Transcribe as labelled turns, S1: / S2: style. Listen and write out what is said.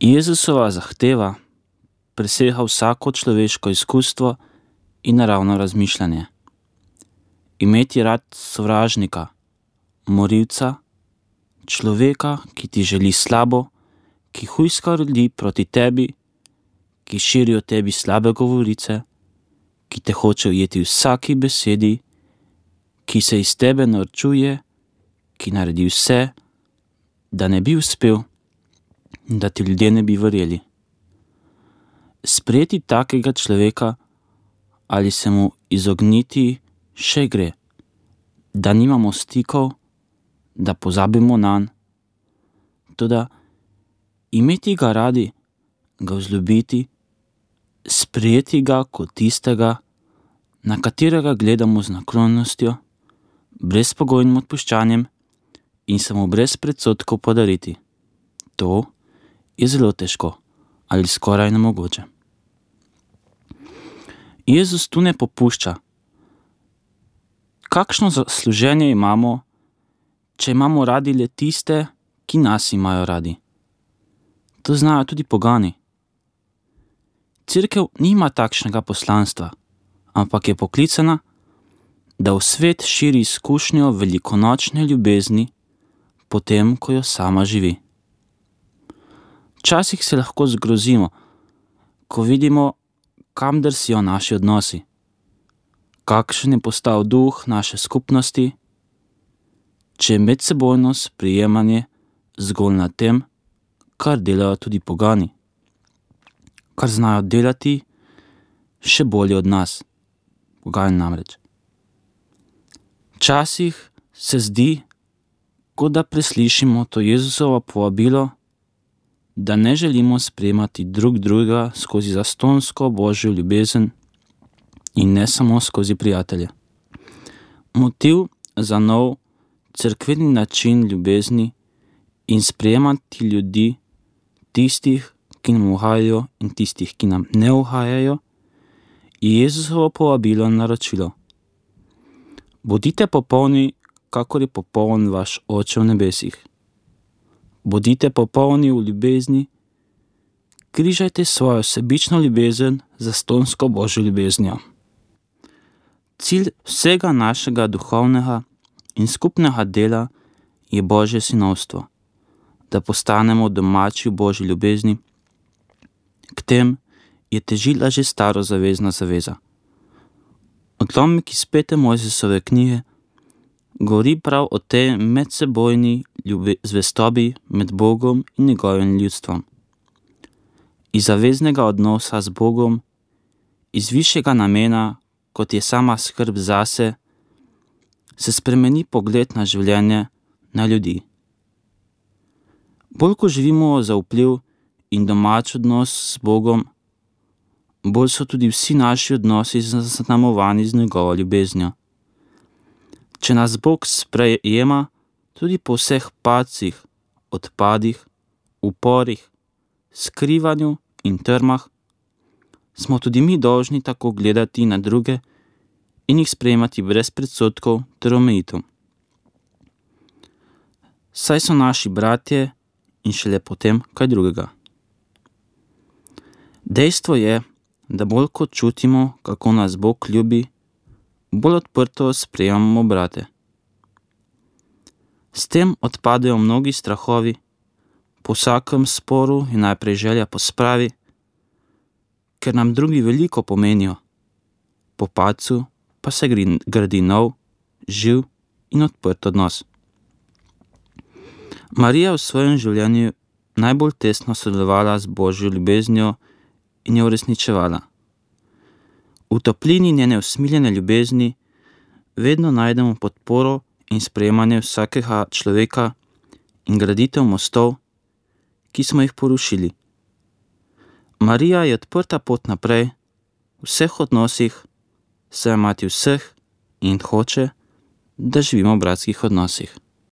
S1: Jezusova zahteva presega vsako človeško izkustvo in naravno razmišljanje. Imeti rad sovražnika, morilca, človeka, ki ti želi slabo, ki hujska ljudi proti tebi, ki širi o tebi slabe govorice, ki te hoče ujeti vsaki besedi, ki se iz tebe norčuje, ki naredi vse, da ne bi uspel, da ti ljudje ne bi verjeli. Sprejeti takega človeka ali se mu izogniti še gre, da nimamo stikov, da pozabimo nanj. Toda imeti ga radi, ga vzljubiti, sprejeti ga kot tistega, na katerega gledamo z naklonostjo, brezpogojnim odpuščanjem in se mu brez predsodkov podariti. To je zelo težko ali skoraj nemogoče. Jezus tu ne popušča. Kakšno zasluženje imamo, če imamo radi le tiste, ki nas imajo radi? To znajo tudi pogani. Cerkev nima takšnega poslanstva, ampak je poklicana, da v svet širi izkušnjo velikonočne ljubezni, potem, ko jo sama živi. Včasih se lahko zgrozimo, ko vidimo, kam drsijo naši odnosi, kakšen je postal duh naše skupnosti, če je medsebojno sprejemanje zgolj na tem, kar delajo tudi pogani, kar znajo delati še bolje od nas, pogani namreč. Včasih se zdi, kot da preslišimo to Jezusovo povabilo, da ne želimo sprejemati drug drugega skozi zastonsko Božjo ljubezen in ne samo skozi prijatelje. Motiv za nov cerkveni način ljubezni in sprejemati ljudi, tistih, ki nam uhajajo in tistih, ki nam ne uhajajo, je Jezusovo povabilo in naročilo. Bodite popolni, kakor je popoln vaš Oče v nebesih. Bodite popolni v ljubezni, križajte svojo sebično ljubezen za zastonsko Božjo ljubeznijo. Cilj vsega našega duhovnega in skupnega dela je Božje sinovstvo, da postanemo domači v Božji ljubezni. K tem je težila že starozavezna zaveza. Odlomek iz 5. Mojzesove knjige govori prav o tej medsebojni zvestobi med Bogom in njegovim ljudstvom. Iz zaveznega odnosa z Bogom, iz višjega namena, kot je sama skrb zase, se spremeni pogled na življenje, na ljudi. Bolj ko živimo za vpliv in domač odnos z Bogom, bolj so tudi vsi naši odnosi zaznamovani z njegovo ljubeznijo. Če nas Bog sprejema tudi po vseh padcih, odpadih, uporih, skrivanju in trmah, smo tudi mi dolžni tako gledati na druge in jih sprejemati brez predsodkov ter omejitev. Saj so naši bratje in šele potem kaj drugega. Dejstvo je, da bolj kot čutimo, kako nas Bog ljubi, bolj odprto sprejemamo brate. S tem odpadejo mnogi strahovi, po vsakem sporu je najprej želja po spravi, ker nam drugi veliko pomenijo, po padcu pa se gradi nov, živ in odprt odnos. Marija v svojem življenju najbolj tesno sodelovala z Božjo ljubeznijo in jo uresničevala. V toplini njene usmiljene ljubezni vedno najdemo podporo in sprejemanje vsakega človeka in graditev mostov, ki smo jih porušili. Marija je odprta pot naprej v vseh odnosih, saj je mati vseh in hoče, da živimo v bratskih odnosih.